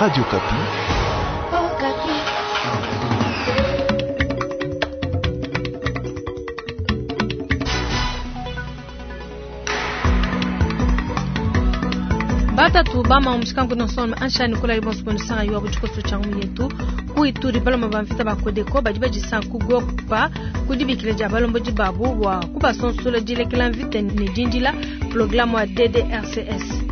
Radio Okapi. Batatu bama omushikangu nosoma anshani kula libonso bonisanga yuwa buchikoso changu yetu ku Ituri baloma ba mvita ba Kodeko badi badisanga ku Gokpa ku dibikila dia balombodi babu bua kubasonsola dilekela mvita ne dindila programme wa DDRCS.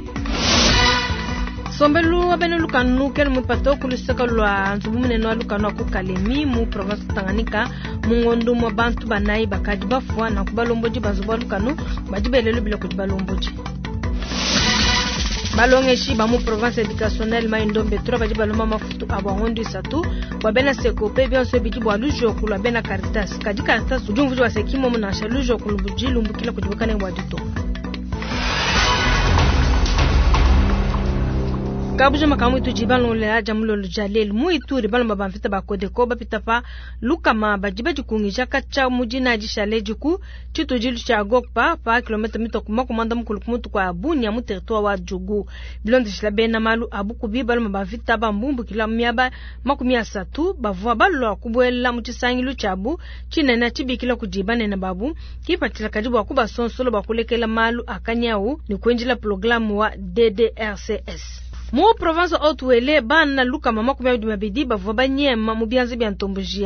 Sombelu wa bena lukanu kena mupato ku luseke lua nzubu munene wa lukanu wa ku Kalemi mu province Tanganyika mu ngondo mwa bantu banayi bakadi bafua nanku balombodi ba nzubu wa lukanu badi belele bila kudi balombodi. Balongeshi ba mu province educationnelle Mai-Ndombe 3 badi balomba mafutu abo ngondo isatu bua bena Sekope bionso bidi bua lujoku lua bena Caritas. Kadi Caritas udi umvuija wa sekimo nansha lujoku lubudi lumbukila kudi bukalenge bua ditunga. Kabuja makamu itu jibalongolela dia mulolo dia lelu mu Ituri balomba ba mvita ba Kodeko bapita pa lukama badi badikungija katshia mu dina dishale diku tshitudilu tshia Gokpa pa kilomètre mitoko makumanda mukulu ku mutu kua Bunia mu territoire wa Djugu. Bilondeshila bena malu a bukubi balomba ba mvita ba mbumbukila miaba 30 bavua balua kubuela mu tshisangilu tshiabu tshinene tshibikila kudi banene babu kipatshila kadi bua kubasonsola bua kulekela malu a kanyawu ne kuenjila programme wa DDRCS. Mu province Haut-Uele bana lukama 22 bavua banyema mu bianza bia ntomboji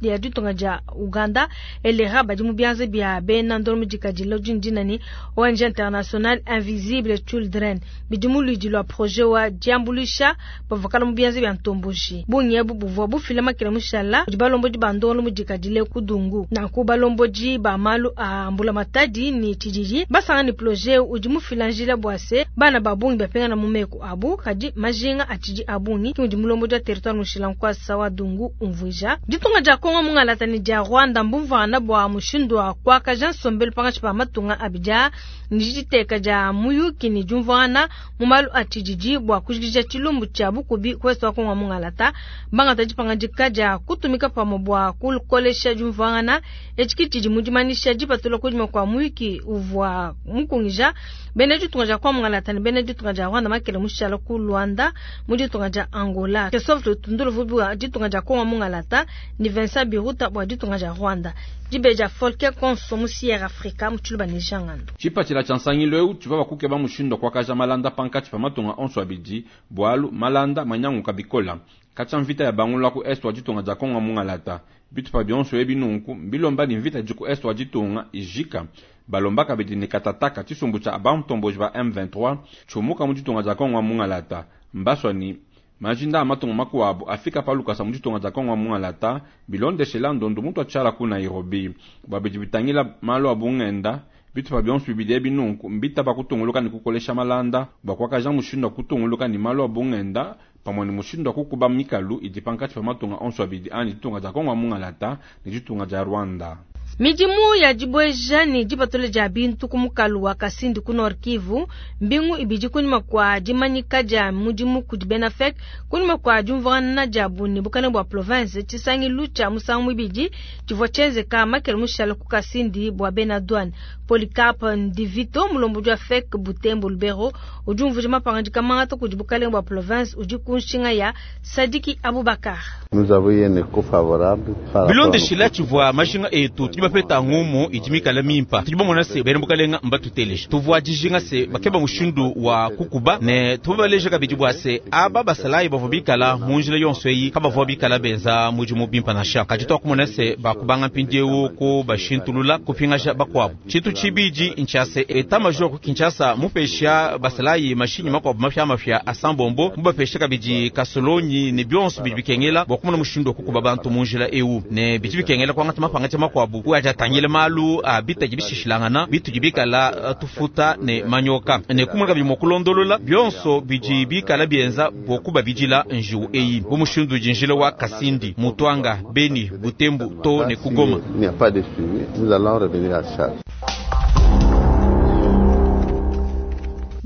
ya ditunga dia Uganda elera badi mu bianza bia bena ndolo mudikadilo dindina ni ONG International Invisible Children bidi mu luidi lua projet wa diambulisha bavua mu bianza bia ntomboji bungi ebu buvua bufila makila mushala kudi balombodi ba ndolo mudikadile ku Dungu nanku balombodi ba malu a mbula matadi ni tshididi basanga ni projet udi mufila njila bua se bana ba bungi bapengana mu meku abu kadi majinga atshidi abungi ki udi mulombodi wa territoire mushila nkwasa wa Dungu umvuija ditunga dia Kongo mungalata ni dia Rwanda mbumvana bua mushindu wa kuakaja nsombelu pangatshi pa matunga abidi ni diteka dia muyuki ni diumvuangana mu malu atshididi bua kujikija tshilumbu tshia bukubi kwesu wa Kongo mungalata bangata dipangadika dia kutumika pamue bua kukolesha diumvuangana etshi tshidi mu dimanisha dipatula kudima kua muyuki uvua mukungija bena ditunga dia Kongo mungalata ne bena ditunga dia Rwanda makele mushala ku Luanda mu ditunga dia Angola. Christophe Tundulu bua ditunga dia Kongo mungalata ni Vincent Biruta bua ditunga dia Rwanda. Dibeja Folke Konso mu Sierra Africa mu Tshiluba ne Jangando. Tshipatshila tshia nsangilu eu tshivua bakukeba mushindu wa kuakaja malanda pankatshi pa matunga onso abidi bualu malanda manyanguka bikola. Katshia mvita ya bangula ku est wa ditunga dia Kongo mungalata. Bitupa bionso ebi nunku mbilomba ni mvita di ku est wa ditunga ijika. Balomba kabidi ne katataka tshisumbu tshia bantomboji ba M23 tshiumuka mu ditunga dia Kongo mungalata. Mbaswani majinda a matunga makuabu afika pa lukasa mu ditunga dia Kongo mungalata bilondeshela ndondo mutu atshiala ku Nairobi. Bua bidi bitangila malu a bungenda bitupa bionso bibidi ebi nunku mbita bakutunguluka ne kukolesha malanda bua kuakaja mushindu wa kutunguluka ne malu a bungenda pamue ne mushindu wa kukuba mikalu idi pankatshi pa matunga onso abidi anyi ditunga dia Kongo mungalata ne ditunga dia Rwanda. Midimu ya dibweja ne dipatula dia bintu ku mukalu wa Kasindi ku Nord Kivu mbingu ibidi kunyima kua dimanyika dia mudimu kudi bena FEC kunyima kua diumvuangana diabu ne bukalenge bua province tshisangilu tshia musangu muibidi tshivua tshienzeka makele mushala ku Kasindi bua bena douane. Polycarpe Ndivito mulombodi wa FEC Butembo Lubero udi umvuija mapangadika mangata kudi bukalenge bua province udi ku nshinga ya Sadiki Abubakar. Nous avons eu un écho favorable par rapport à Bilondeshila tshivua majinga etu tudi bapeta ngumu idi mikala mimpa tudi bamona se bena bukalenga mbatuteleja tuvua dijinga se bakeba mushindu wa kukuba ne tubabaleja kabidi bua se aba basalayi bavua bikala mu njila yonso eyi kabavua bikala benza mudimu bimpa nansha kadi twakumona se bakubanga mpindiewu ku bashintulula kupingaja bakuabu tshintu tshibidi ntshia se état major ku Kinshasa mupesha basalayi mashinyi makuabu mafiamafia a sambombo mubapesha kabidi kasolonyi ne bionso bidi bikengela bua kumona mushindu wa kukuba bantu mu njila ewu ne bidi bikengela kuangata mapangadika makuabu ku adi atangila malu a bitadi bishishilangana bitudi bikala tufuta ne manyoka ne kumona kabidi mua kulondolola bionso bidi bikala bienza bua kubabidila njiwu eyi bu mushindu udi njila wa Kasindi Mutwanga Beni Butembo to ne ku Goma. Il n'y a pas de suivi, nous allons revenir à charge.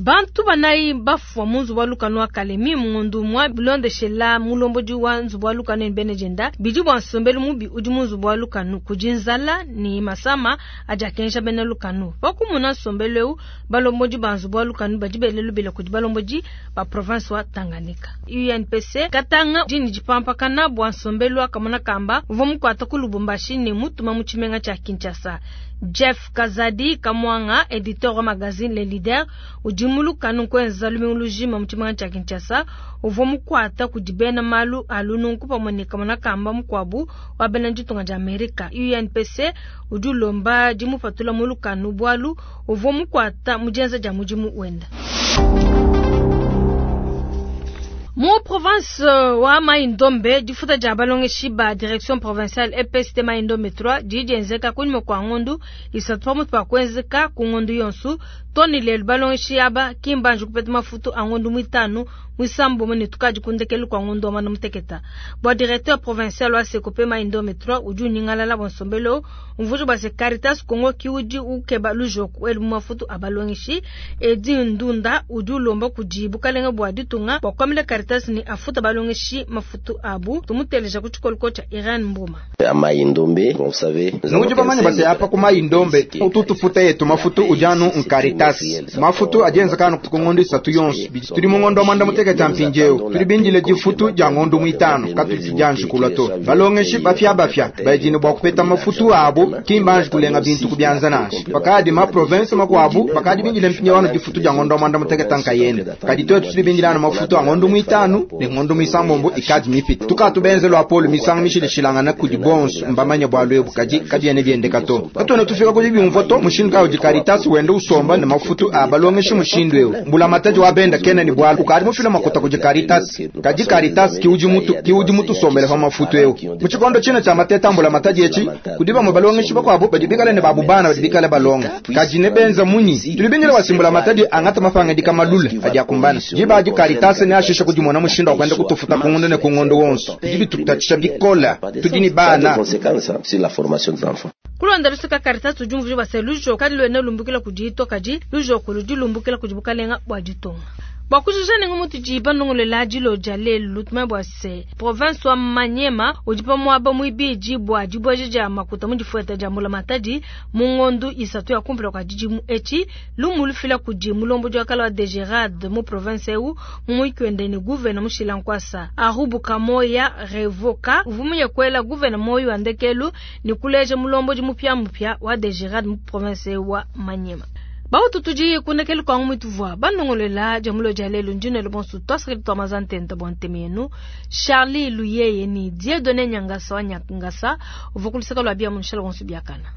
Bantu banayi bafua mu nzubu wa lukanu wa Kalemi mu ngondo umue bilondeshela mulombodi wa nzubu wa lukanu ne bena dienda bidi bua nsombelu mubi udi mu nzubu wa lukanu kudi nzala ne masama adi akengesha bena lukanu. Pa kumona nsombelu eu, balombodi ba nzubu wa lukanu badi bela lubila kudi balombodi ba province wa Tanganyika. UNPC Katanga udi ne dipampakana bua nsombelu wa kamona kamba uvua mukuata ku Lubumbashi ne mutuma mu tshimenga tshia Kinshasa. Jeff Kazadi Kamwanga, editeur wa magazine Le Leader, udi mu lukanu kuenza lumingu lujima mu tshimenga tshia Kinshasa, uvua mukuata kudi bena malu a lununku pamue ne kamona kamba mukuabu wa bena ditunga dia Amerika. UNPC udi ulomba dimupatula mu lukanu bualu uvua mukuata mu dienza dia mudimu wenda. Mu province wa Mai-Ndombe, difuta dia balongeshi ba direction provinciale EPST Mai-Ndombe 3 didi dienzeka kunyima kua ngondu isatu pamutu pa kuenzeka ku ngondu yonso. Too ne lelu balongeshi aba ki mbanji kupeta mafutu a ngondu muitanu muisambombo ne tukadi ku ndekelu kua ngondu wa muanda muteketa. Bua directeur provincial wa Sekope Mai-Ndombe 3 udi unyingalala bua nsombelu eu, umvuija bua se Caritas Congo ki udi ukeba lujoku elu mu mafutu a balongeshi. Edi Ndunda udi ulomba kudi bukalenge bua ditunga bua kuambila Caritas ne afuta balongeshi mafutu abu. Tumuteleja ku tshikoloko tshia Irene Mboma. Nudi bamanye base apa ku Mai-Ndombe utu tufuta yetu mafutu udi anu n'Caritas. Mafutu adi enzeka anu ku ngondo isatu yonso. Tudi mu ngondo wa muanda mutekete mpindieu. Tudi bindile difutu dia ngondo muitanu katudi tudianji kulua to. Balongeshi bapiabapia badi ne bua kupeta mafutu abu, ki mbanji kulenga bintu ku bianza nansha. Pakadi ma province makuabu bakadi bindile mpindieu anu difutu dia ngondo wa muanda mutekete nkayende. Kadi tuetu tudi bindile anu mafutu a ngondo muitanu ne ngondo muisambombo ikadi mipite. Tukatu benze luapolo misangu mishilashilangane kudi bonso mbamanye bualu ebu, kadi kabiena biendeka to. Katuena tufika ku dibiumvua to mushindu kayi udi Caritas wenda usomba ne mafutu a balongeshi mushindu eu. Mbulamatadi wa benda kena ne bualu ukadi mufile makuta kudi Caritas, kadi Caritas ki udi mutu ki udi mutusombele pa mafutu eu. Mu tshikondo tshine tshia mateta a mbulamatadi etshi, kudi bamue balongeshi bakuabu badi bikale ne babu bana badi bikale balonga, kadi nebenza munyi? Tudi bindile bua se mbulamatadi angate mapangadika malule adi akumbana. Diba adi Caritas neashishe kudimona mushindu wa kuenda kutufuta ku ngondo ne ku ngondo wonso. Bidi bitutatshisha bikole. Tudi ne bana. Kulonda luseka Caritas udi umvuija bua se lujoko kaluena lumbukila kudi to, kadi lujoko ludi lumbukila kudi bukalenga bua ditunga. Bua kujuja nenku mutudi banongolola dilo dia lelu, tumanye bua se province wa Maniema udi pa muaba muibidi bua dibueja dia makuta mu difueta dia mbulamatadi mu ngondu isatu ya kumpala kua tshidimu etshi. Lumu lufila kudi mulombodi wa kala wa DGRAD mu province eu mu muyiki wende ne gouvena mushila nkuasa Arubu Kamoya Revoka uvua muye kuela gouvena moyo wa ndekelu ne kuleja mulombodi mupiamupia wa DGRAD mu province eu wa Maniema. Bautu tudi ku ndekelu kua ngumu ituvua banongolola dia mulo dia lelu. Ndi nuenu bonso tuasakidila tua maza ntenta bua ntema yenu. Charlie Luyeye ni Dieudonné Nyangasa wa Nyangasa uvua ku luseke lua bia mu nshala bonso biakana.